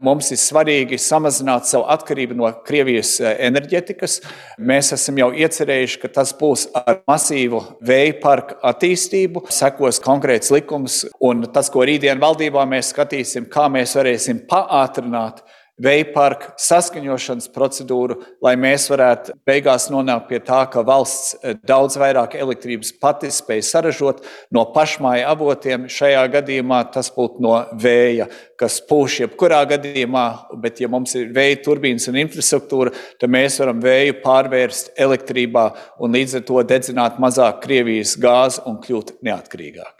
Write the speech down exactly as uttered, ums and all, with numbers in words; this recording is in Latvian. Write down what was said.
Mums ir svarīgi samazināt savu atkarību no Krievijas enerģetikas. Mēs esam jau iecerējuši, ka tas būs ar masīvu vēja parku attīstību, sekos konkrēts likums, un tas, ko rītdien valdībā mēs skatīsim, kā mēs varēsim paātrināt vēja parku saskaņošanas procedūru, lai mēs varētu beigās nonākt pie tā, ka valsts daudz vairāk elektrības pati spēj saražot no pašmāju avotiem. Šajā gadījumā tas būtu no vēja, kas pūš jebkurā gadījumā, bet ja mums ir vēja turbīnas un infrastruktūra, tad mēs varam vēju pārvērst elektrībā un līdz ar to dedzināt mazāk Krievijas gāzi un kļūt neatkarīgāk.